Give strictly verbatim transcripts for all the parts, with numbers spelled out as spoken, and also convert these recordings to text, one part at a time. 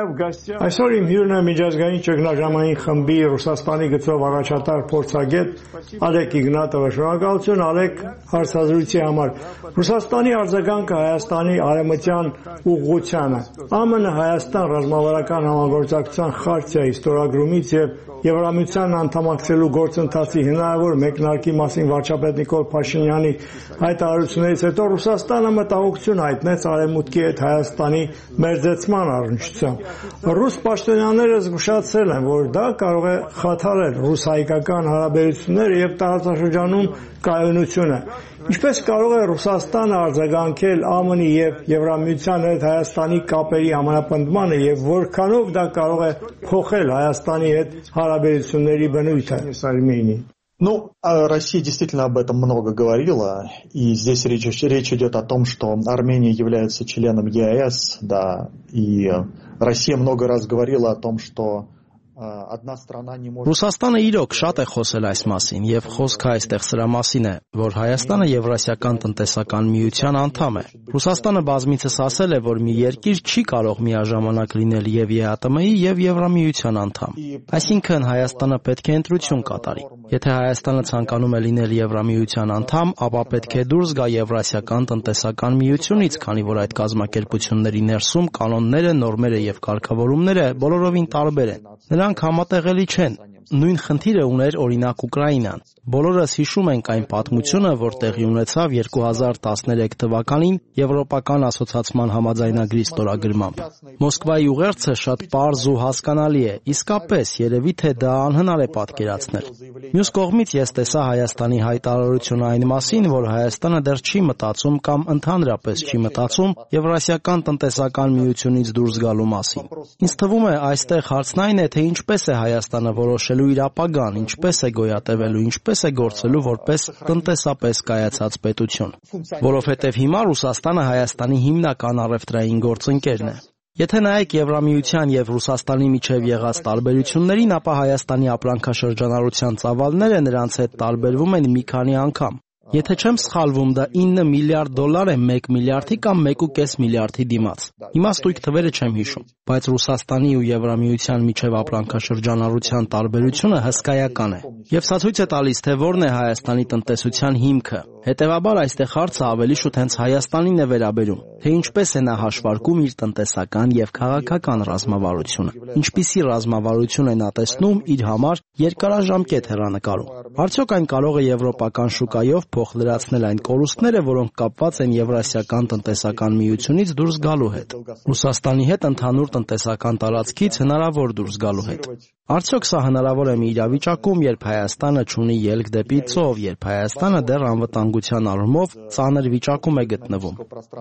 Այսօր իմ հյուրն է միջազգային ճգնաժամային խմբի Ռուսաստանի գծով առաջատար փորձագետ Ալեք Իգնատովը։ Շնորհակալություն Ալեք հարցազրույցի համար։ Ռուսաստանի արձագանքը Հայաստանի արևմտյան ուղղությանը, ԱՄՆ Հայաստան ռազմավարական համագործակցության խարտիայի ստորագրումից եւ Եվրամիության անդամակցելու գործընթացի հնարավոր մեկնարկի մասին վարչապետ Նիկոլ Փաշինյանի հայտարարություններից հետո Ռուսաստանը մտահոգություն հայտնեց Արևմուտքի հետ Հայաստանի մերձեցման առնչությամբ։ Ռուս պաշտոնյաները զգուշացրել են, որ դա կարող է խաթարել ռուս-հայկական հարաբերությունները եւ տարածաշրջանում կայունությունը։ Ինչպես կարող է Ռուսաստանը արձագանքել ԱՄՆ-ի եւ Եվրամիության հետ Հայաստանի կապերի համապնդմանը եւ որքանով դա կարող է փոխել Հայաստանի հետ հարաբերությունների բնույթը Արմենիայի։ Ну, Россия действительно об этом много говорила, и здесь речь, речь идет о том, что Армения является членом ЕАЭС, да, и Россия много раз говорила о том, что Ռուսաստանը իրոք շատ է խոսել այս մասին, եւ խոսքը այստեղ սրա մասին է, որ Հայաստանը Եվրասիական տնտեսական միության անդամ է։ Ռուսաստանը բազմիցս ասել է, որ մի երկիր չի կարող միաժամանակ լինել եւ ԵԱՏՄ-ի եւ Եվրամիության անդամ։ Այսինքն Հայաստանը պետք է ընտրություն կատարի։ Եթե Հայաստանը ցանկանում է լինել Եվրամիության անդամ, ապա պետք է դուրս գա Եվրասիական տնտեսական միությունից, քանի որ այդ կազմակերպությունների ներսում կանոնները, նորմերը եւ կարգավորումները բոլորովին տարբեր են։ Նրանք համատեղելի չեն։ Նույն խնդիրը ուներ օրինակ Ուկրաինան։ Բոլորս հիշում ենք այն պատմությունը, որ տեղի ունեցավ երկու հազար տասներեք թվականին Եվրոպական ասոցիացիան համաձայնագրի ստորագրմամբ։ Մոսկվայի ուղերձը շատ պարզ ու հասկանալի է, իսկապես երևի թե դա անհնար է պատկերացնել։ Մյուս կողմից ես տեսա Հայաստանի հայտարարությունը այն մասին, որ Հայաստանը դեռ չի մտածում կամ ընդհանրապես չի մտածում Եվրասիական տնտեսական միությունից դուրս գալու մասին։ Ինձ թվում է այստեղ հարցն այն է, թե ինչպես է Հայաստանը որոշելու իր ապագան, ինչպես է գոյատևելու, ինչպես է գործելու որպես տնտեսապես կայացած պետություն։ Որովհետև հիմա Ռուսաստանը Հայաստանի հիմնական առևտրային գործընկերն է։ Եթե նայեք Եվրամիության եւ Ռուսաստանի միջև եղած տարբերություններին, ապա Հայաստանի ապրանքաշրջանառության ծավալները նրանց հետ տարբերվում են մի քանի անգամ։ Եթե չեմ սխալվում, դա ինը միլիարդ դոլար է մեկ միլիարդի կամ մեկ ու կես միլիարդի դիմաց։ Հիմա ստույգ թվերը չեմ հիշում, բայց Ռուսաստանի ու Եվրամիության միջև ապրանքաշրջանառության տարբերությունը հսկայական է։ Եվ սա ցույց է տալիս, թե որն է Հայաստանի տնտեսության հիմքը։ Հետևաբար այստեղ հարցը ավելի շուտ հենց Հայաստանին է վերաբերում, թե ինչպես է նա հաշվարկում իր տնտեսական եւ քաղաքական ռազմավարությունը, ինչպիսի ռազմավարություն է նա տեսնում իր համար երկարաժամկետ հեռանկարում։ Արդյոք այն կարող է եվրոպական շուկայով փոխ լրացնել այն կորուստները, որոնք կապված են Եվրասիական տնտեսական միությունից դուրս գալու հետ, Ռուսաստանի հետ ընդհանուր տնտեսական տարածքից հնարավոր դուրս գալու հետ։ Արդյոք սա հնարավոր է մի իրավիճակում, երբ Հայաստանը չունի ելք դեպի ծով, երբ Հայաստանը դեռ անվտանգության առումով ծանր վիճակում է գտնվում։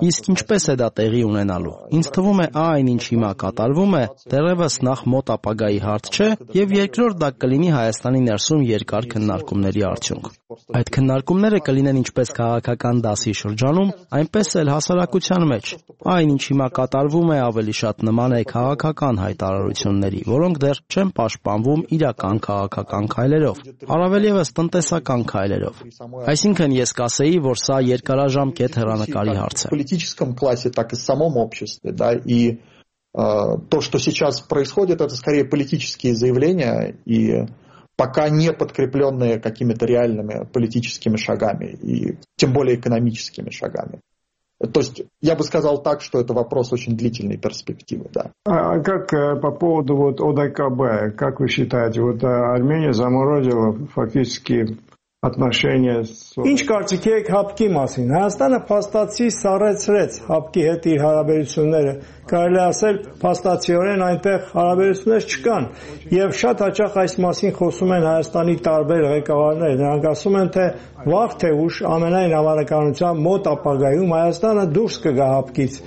Իսկ ինչպես է դա տեղի ունենալու։ Ինձ թվում է այն, ինչ հիմա կատարվում է, դեռևս նախ մոտ ապագայի հարց չէ, եւ երկրորդ դա կլինի Հայաստանի ներսում երկար քննարկումների արդյունք։ Այդ քննարկումները կլինեն ինչպես քաղաքական դասի շրջանում, այնպես էլ հասարակության մեջ։ Այն, ինչ հիմա կատարվում է, ավելի շատ նման է քաղաքական հայտարարությունների, որոնք դեռ չեն պաշտպանվում իրական քաղաքական քայլերով, առավել ևս տնտեսական քայլերով։ Այսինքն ես կասեի, որ սա երկարաժամկետ հեռանկարի հարց է։ Политическом классе, так и в самом обществе, да, и то, что сейчас происходит, это скорее политические заявления и пока не подкрепленные какими-то реальными политическими шагами и тем более экономическими шагами. То есть я бы сказал так, что это вопрос очень длительной перспективы, да. А как по поводу вот ОДКБ, как вы считаете, вот Армения заморозила фактически отношения с... Ինչ կարծիք եք հապկի մասին։ Հայաստանը փաստացի սառեցրեց հապկի հետ իր հարաբերությունները։ Կարելի ասել, փաստացիորեն այնտեղ հարաբերություններ չկան։ Եվ շատ հաճախ այս մասին խոսում են Հայաստանի տարբեր ղեկավարներ։ Նրանք ասում են, թե վաղ թե ուշ ամենայն հավանականությամբ մոտ ապագայում Հայաստանը դուրս կգա հապկից։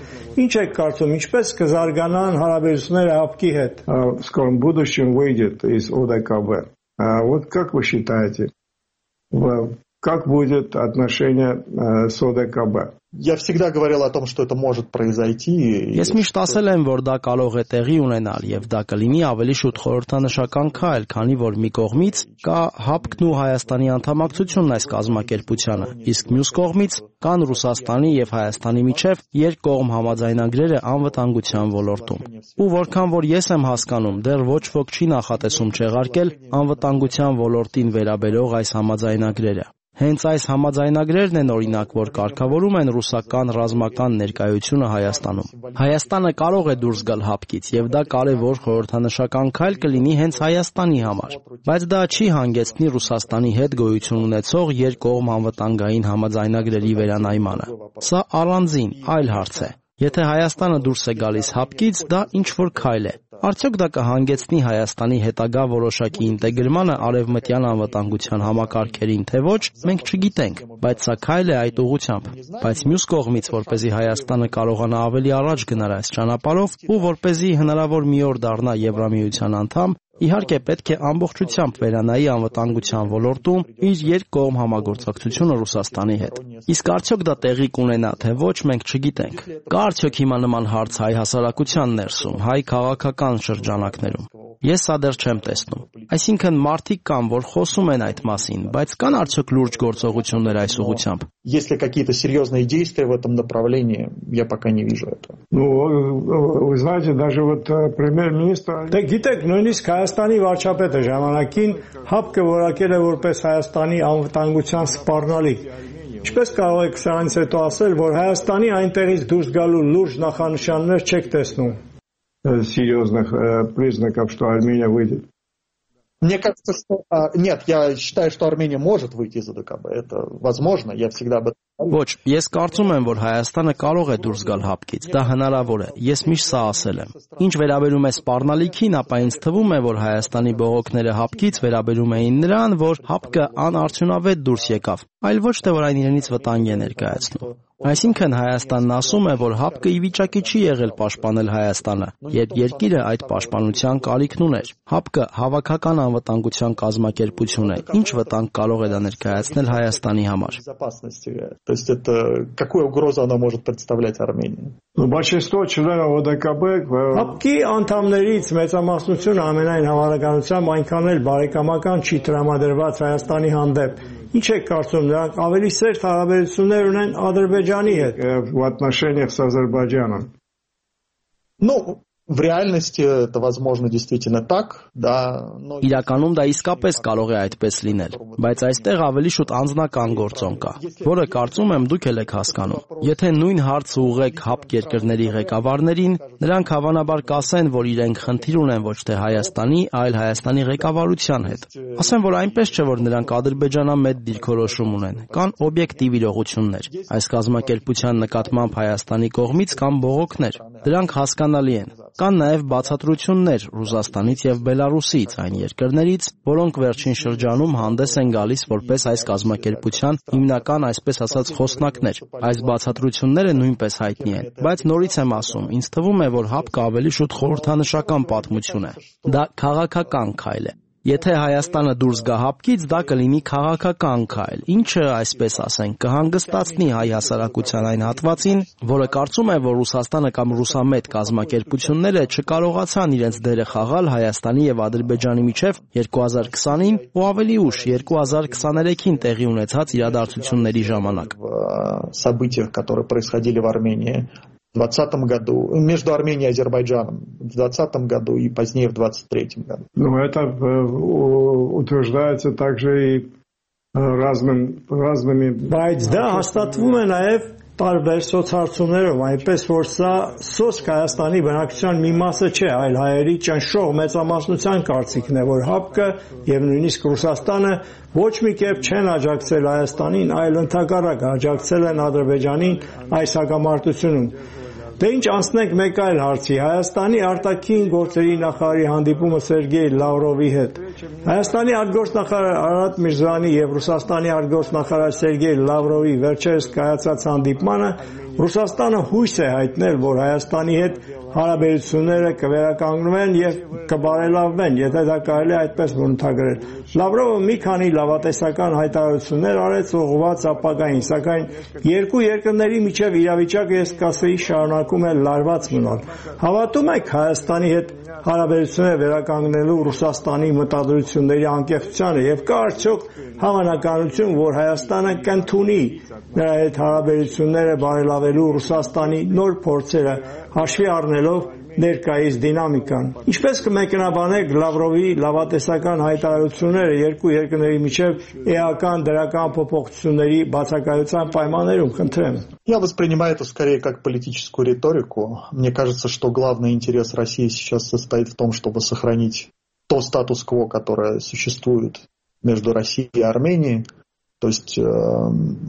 Ինչ եք կարծում, ինչպես կզարգանան հարաբերությունները հապկի հետ։ В скором будущем выйдет из ОДКБ. Вот как вы считаете? Как будет отношение с ОДКБ? Я всегда говорил о том, что это может произойти. Ես միշտ ասել եմ, որ դա կարող է տեղի ունենալ եւ դա կլինի ավելի շուտ խորհրդանշական քայլ, քանի որ մի կողմից կա ՀԱՊԿ-ն ու Հայաստանի անդամակցությունն այս կազմակերպությանը, իսկ մյուս կողմից կան Ռուսաստանի եւ Հայաստանի միջև երկկողմ համաձայնագրերը անվտանգության ոլորտում։ Ու որքան որ ես եմ հասկանում, դեռ ոչ ոք չի նախատեսում չեղարկել անվտանգության ոլորտին վերաբերող այս համաձայնագրերը։ Հենց այս համաձայնագրերն են օրինակ, որ կարգավորում են ռուսական ռազմական ներկայությունը Հայաստանում։ Հայաստանը կարող է դուրս գալ ՀԱՊԿ-ից եւ դա կարեւոր խորհրդանշական քայլ կլինի հենց Հայաստանի համար, բայց դա չի հանգեցնի Ռուսաստանի հետ գոյություն ունեցող երկկողմ անվտանգային համաձայնագրերի վերանայմանը։ Սա առանձին այլ հարց է։ Եթե Հայաստանը դուրս է գալիս ՀԱՊԿ-ից, դա ինչ-որ քայլ է։ Արդյոք դա կհանգեցնի Հայաստանի հետագա որոշակի ինտեգրմանը արևմտյան անվտանգության համակարգերին, թե ոչ, մենք չգիտենք, բայց սա քայլ է այդ ուղղությամբ։ Բայց մյուս կողմից, որպեսզի Հայաստանը կարողանա ավելի առաջ գնալ այս ճանապարհով ու որպեսզի հնարավոր մի օր դառնա Եվրամիության անդամ, իհարկե պետք է ամբողջությամբ վերանայի անվտանգության ոլորտում իր երկկողմ համագործակցությունը Ռուսաստանի հետ։ Իսկ արդյոք դա տեղի կունենա, թե ոչ, մենք չգիտենք։ Կա արդյոք հիմա նման հարց հայ հասարակության ներսում, հայ քաղաքական շրջանակներում։ Ես սա դեռ չեմ տեսնում։ Այսինքն մարդիկ կան, որ խոսում են այդ մասին, բայց կան արդյոք լուրջ գործողություններ այս ուղղությամբ։ Если какие-то серьезные действия в этом направлении, я пока не вижу этого. Ну, вы знаете, даже вот премьер-министр... Դե գիտեք, նույնիսկ Հայաստանի վարչապետը ժամանակին ՀԱՊԿ-ը որակել է որպես Հայաստանի անվտանգության սպառնալիք։ Ինչպես կարող եք սրանից հետո ասել, որ Հայաստանի այնտեղից դուրս գալու լուրջ նախանշաններ չեք տեսնում։ Серьезных признаков, что Армения выйдет. Мне кажется, что... Нет, я считаю, что Армения может выйти из ОДКБ. Это возможно, я всегда об этом говорю. Ոչ, ես կարծում եմ, որ Հայաստանը կարող է դուրս գալ ՀԱՊԿ-ից, դա հնարավոր է, ես միշտ սա ասել եմ։ Ինչ վերաբերում է սպառնալիքին, ապա ինձ թվում է, որ Հայաստանի բողոքները ՀԱՊԿ-ից վերաբերում էին նրան, որ ՀԱՊԿ-ը անարդյունավետ դուրս եկավ, այլ ոչ թե որ այն իրենից վտանգ է ներկայացնում։ Այսինքն Հայաստանն ասում է, որ ՀԱՊԿ-ը ի վիճակի չի եղել պաշտպանել Հայաստանը, երբ երկիրը այդ պաշտպանության կարիքն ուներ։ ՀԱՊԿ-ը հավաքական անվտանգության կազմակերպություն է, ինչ վտանգ կարող է դա ներկայացնել Հայաստանի համար։ То есть это какую угрозу она может представлять Армении? Большинство членов ОДКБ ՀԱՊԿ-ի անդամներից մեծամասնությունը ամենայն հավանականությամբ այնքան էլ բարեկամական չի տրամադրված Հայաստանի հանդեպ։ Ինչ եք կարծում, նրանք ավելի սերտ հարաբերություններ ունեն Ադրբեջանի հետ в отношениях с Азербайджаном? Ну, в реальности это возможно действительно так, да, но... Իրականում դա իսկապես կարող է այդպես լինել, բայց այստեղ ավելի շուտ անձնական գործոն կա, որը կարծում եմ դուք էլ եք հասկանում։ Եթե նույն հարցը ուղղեք ՀԱՊԿ երկրների ղեկավարներին, նրանք հավանաբար կասեն, որ իրենք խնդիր ունեն ոչ թե Հայաստանի, այլ Հայաստանի ղեկավարության հետ։ Ասեմ, որ այնպես չէ, որ նրանք ադրբեջանամետ դիրքորոշում ունեն, կան օբյեկտիվ իրողություններ։ Այս կազմակերպության նկատմամբ Հայաստանի կողմից կան բողոքներ, դրանք հասկանալի են։ Կան նաև բացատրություններ Ռուսաստանից եւ Բելարուսից, այն երկրներից, որոնք վերջին շրջանում հանդես են գալիս որպես այս կազմակերպության հիմնական, այսպես ասած, խոսնակներ։ Այս բացատրությունները նույնպես հայտնի են, բայց նորից եմ ասում, ինձ թվում է, որ ՀԱՊԿ-ը ավելի շուտ խորհրդանշական պատմություն է։ Դա քաղաքական քայլ է։ Եթե Հայաստանը դուրս գա ՀԱՊԿ-ից, դա կլինի քաղաքական քայլ, ինչը, այսպես ասենք, կհանգստացնի հայ հասարակության այն հատվածին, որը կարծում է, որ Ռուսաստանը կամ ռուսամետ կազմակերպությունները չկարողացան իրենց դերը խաղալ Հայաստանի եւ Ադրբեջանի միջև երկու հազար քսանին ու ավելի ուշ երկու հազար քսաներեքին տեղի ունեցած իրադարձությունների ժամանակ։ События, которые происходили в Армении в двадцатом году, между Арменией и Азербайджаном в двадцатом году и позднее в двадцать третьем году. Ну, это утверждается также и разным, разными... Բայց դա հաստատվում է նաև տարբեր սոցհարցումներով, այնպես որ սա սոսկ Հայաստանի բնակչության մի մասը չէ, այլ հայերի ճնշող մեծամասնության կարծիքն է, որ ՀԱՊԿ-ը եւ նույնիսկ Ռուսաստանը ոչ մի կերպ չեն աջակցել Հայաստանին, այլ ընդհակառակը աջակցել են Ադրբեջանին այս հակամարտությունում։ Դե ինչ անցնենք մեկ այլ հարցի, Հայաստանի արտաքին գործերի նախարարի հանդիպումը Սերգեյ Լավրովի հետ։ Հայաստանի արտգործնախարար Արարատ Միրզոյանի եւ Ռուսաստանի արտգործնախարար Սերգեյ Լավրովի վերջերս կայացած հանդիպմանը Ռուսաստանը հույս է հայտնել, որ Հայաստանի հետ հարաբերությունները կվերականգնվեն եւ կբարելավվեն, եթե դա կարելի է այդպես բնութագրել։ Լավրովը մի քանի լավատեսական հայտարարություններ արեց ուղղված ապագային, սակայն երկու երկրների միջև իրավիճակը, ես կասեի, շարունակում է լարված մնալ։ Հավատում եք Հայաստանի հետ հարաբերությունները վերականգնելու Ռուսաստանի մտադրությունների անկեղծությանը եւ կա արդյոք հավանականություն, որ Հայաստանը կընդունի նրա հետ հարաբերությունները բարելավելու Ռուսաստանի նոր փորձերը հաշվի առնելով ներկայիս դինամիկան։ Ինչպես կմեկնաբանեք Լավրովի լավատեսական հայտարարությունները երկու երկրների միջև էական դրական փոփոխությունների բացակայության պայմաններում, խնդրեմ։ Я воспринимаю это скорее как политическую риторику. Мне кажется, что главный интерес России сейчас состоит в том, чтобы сохранить то статус-кво, которое существует между Россией и Арменией. То есть э,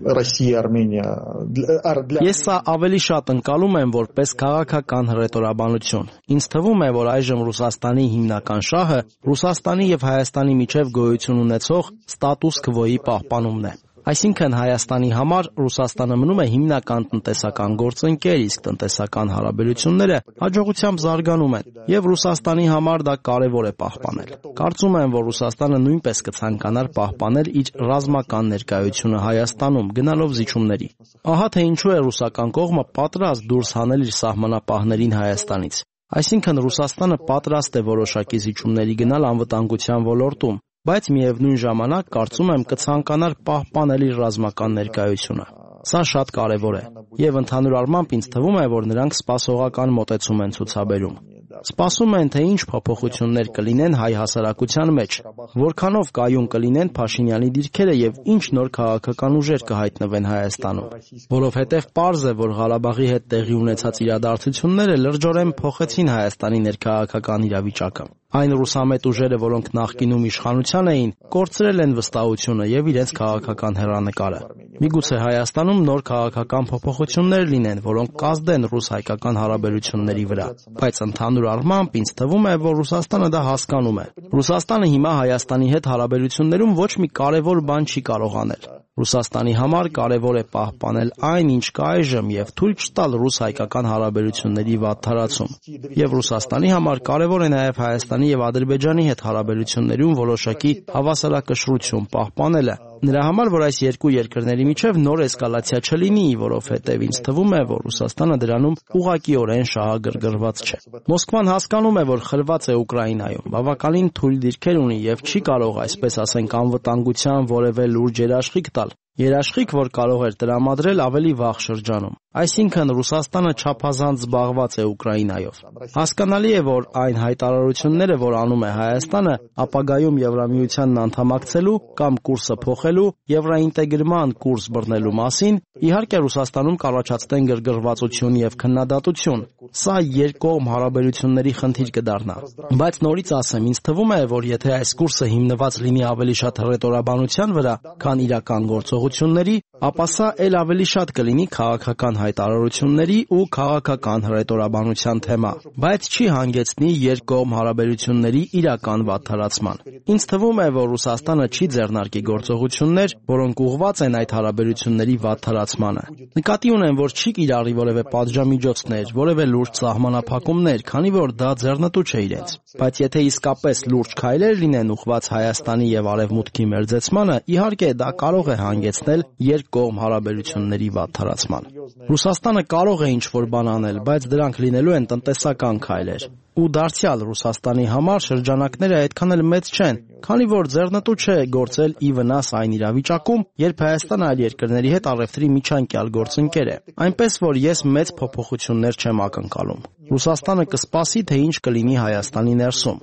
Россия, Армения для... Ես սա ավելի շատ ընկալում եմ որպես քաղաքական հռետորաբանություն։ Ինձ թվում է, որ այժմ Ռուսաստանի հիմնական շահը Ռուսաստանի եւ Հայաստանի միջև գոյություն ունեցող ստատուս քվոյի պահպանումն է։ Այսինքն Հայաստանի համար Ռուսաստանը մնում է հիմնական տնտեսական գործընկեր, իսկ տնտեսական հարաբերությունները հաջողությամբ զարգանում են, եւ Ռուսաստանի համար դա կարեւոր է պահպանել։ Կարծում եմ, որ Ռուսաստանը նույնպես կցանկանար պահպանել իր ռազմական ներկայությունը Հայաստանում, գնալով զիջումների։ Ահա թե ինչու է ռուսական կողմը պատրաստ դուրս հանել իր սահմանապահներին Հայաստանից։ Այսինքն Ռուսաստանը պատրաստ է որոշակի զիջումների գնալ անվտանգության ոլորտում, բայց միևնույն ժամանակ կարծում եմ կցանկանար պահպանել իր ռազմական ներկայությունը։ Սա շատ կարևոր է, եւ ընդհանուր առմամբ ինձ թվում է, որ նրանք սպասողական մոտեցում են ցուցաբերում։ Սպասում են, թե ինչ փոփոխություններ կլինեն հայ հասարակության մեջ, որքանով կայուն կլինեն Փաշինյանի դիրքերը եւ ինչ նոր քաղաքական ուժեր կհայտնվեն Հայաստանում։ Որովհետեւ պարզ է, որ Ղարաբաղի հետ տեղի ունեցած իրադարձությունները լրջորեն փոխեցին Հայաստանի ներքաղաքական իրավիճակը։ Այն ռուսամետ ուժերը, որոնք նախկինում իշխանության էին, կորցրել են վստահությունը եւ իրենց քաղաքական հեռանկարը։ Միգուցե Հայաստանում նոր քաղաքական փոփոխություններ լինեն, որոնք կազդեն ռուս-հայկական հարաբերությունների վրա, բայց ընդհանուր առմամբ ինձ թվում է, որ Ռուսաստանը դա հասկանում է։ Ռուսաստանը հիմա Հայաստանի հետ հարաբերություններում ոչ մի կարևոր բան չի կարող անել։ Ռուսաստանի համար կարևոր է պահպանել այն, ինչ կա այժմ եւ թույլ չտալ ռուս-հայկական հարաբերությունների վատթարացում։ Եվ Ռուսաստանի համար կարևոր է նաեւ Հայաստանի եւ Ադրբեջանի հետ հարաբերություններում որոշակի հավասարակշռություն պահպանելը։ Նրա համար, որ այս երկու երկրների միջև նոր էսկալացիա չլինի, որովհետև ինձ թվում է, որ Ռուսաստանը դրանում ուղղակիորեն շահագրգռված չէ։ Մոսկվան հասկանում է, որ խլված է Ուկրաինայում, բավականին թույլ դիրքեր ունի եւ չի կարող, այսպես ասենք, անվտանգության որևէ լուրջ երաշխիք տալ։ Երաշխիք, որ կարող էր տրամադրել ավելի վաղ շրջանում։ Այսինքն Ռուսաստանը չափազանց զբաղված է Ուկրաինայով։ Հասկանալի է, որ այն հայտարարությունները, որ անում է Հայաստանը, ապագայում Եվրամիությանն անդամակցելու կամ կուրսը փոխելու, եվրոինտեգրման կուրս բռնելու մասին, իհարկե Ռուսաստանում կառաջացնեն գրգռվածություն եւ քննադատություն։ Սա երկկողմ հարաբերությունների խնդիր կդառնա։ Բայց նորից ասեմ, ինձ թվում է, որ եթե այս կուրսը հիմնված լինի ավելի շատ հռետորաբանության վրա, քան իրական գործողությունների, ապա սա ել ավելի շատ կլինի քաղաքական հայտարարությունների ու քաղաքական հռետորաբանության թեմա, բայց չի հանգեցնի երկկողմ հարաբերությունների իրական վատթարացման։ Ինձ թվում է, որ Ռուսաստանը չի ձեռնարկի գործողություններ, որոնք ուղղված են այդ հարաբերությունների վատթարացմանը։ Նկատի ունեմ, որ չի կիրառի որևէ պատժամիջոցներ, որևէ լուրջ սահմանափակումներ, քանի որ դա ձեռնտու չէ իրենց։ Բայց եթե իսկապես լուրջ քայլեր լինեն ուղղված Հայաստանի եւ Արևմուտքի մերձեցմանը, իհարկե դա կարող է հանգեցնել երկկողմ հարաբերությունների վատթարացման։ Ռուսաստանը կարող է ինչ-որ բան անել, բայց դրանք լինելու են տնտեսական քայլեր։ Ու դարձյալ Ռուսաստանի համար շրջանակները այդքան էլ մեծ չեն, քանի որ ձեռնտու չէ գործել ի վնաս այն իրավիճակում, երբ Հայաստանը այլ երկրների հետ առևտրի միջանկյալ գործընկեր է։ Այնպես որ ես մեծ փոփոխություններ չեմ ակնկալում։ Ռուսաստանը կսպասի, թե ինչ կլինի Հայաստանի ներսում։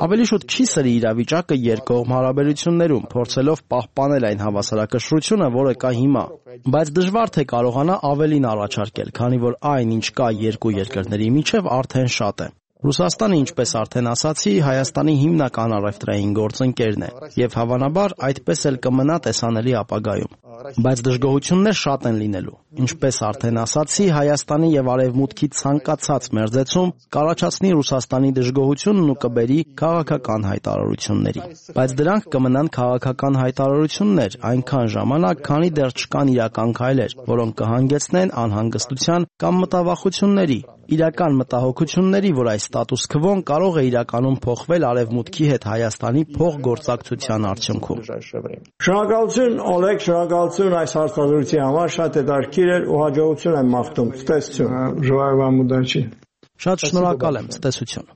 Ավելի շուտ չի սրի իրավիճակը երկկողմ հարաբերություններում, փորձելով պահպանել այն հավասարակշռությունը, որը կա հիմա, բայց դժվար թե կարողանա ավելին առաջարկել, քանի որ այն, ինչ կա երկու երկրների միջև, արդեն շատ է։ Ռուսաստանը, ինչպես արդեն ասացի, Հայաստանի հիմնական առևտրային գործընկերն է, եւ հավանաբար այդպես էլ կմնա տեսանելի ապագայում։ Բայց դժգոհություններ շատ են լինելու։ Ինչպես արդեն ասացի, Հայաստանի եւ Արևմուտքի ցանկացած մերձեցում կառաջացնի Ռուսաստանի դժգոհությունն ու կբերի քաղաքական հայտարարությունների։ Բայց դրանք կմնան քաղաքական հայտարարություններ այնքան ժամանակ, քանի դեռ չկան իրական քայլեր, որոնք կհանգեցնեն անհանգստության կամ մտավախությունների, իրական մտահոգությունների, որ այս ստատուս քվոն կարող է իրականում փոխվել Արևմուտքի հետ Հայաստանի փոխգործակցության արդյունքում։ Շնորհակալություն Օլեգ, շնորհակալություն այս հարցազրույցի համար, շատ հետաքրքիր էր ու հաջողություն եմ մաղթում։ Ցտեսություն։ Ժողովրդի Շատ շնորհակալ եմ, ցտեսություն։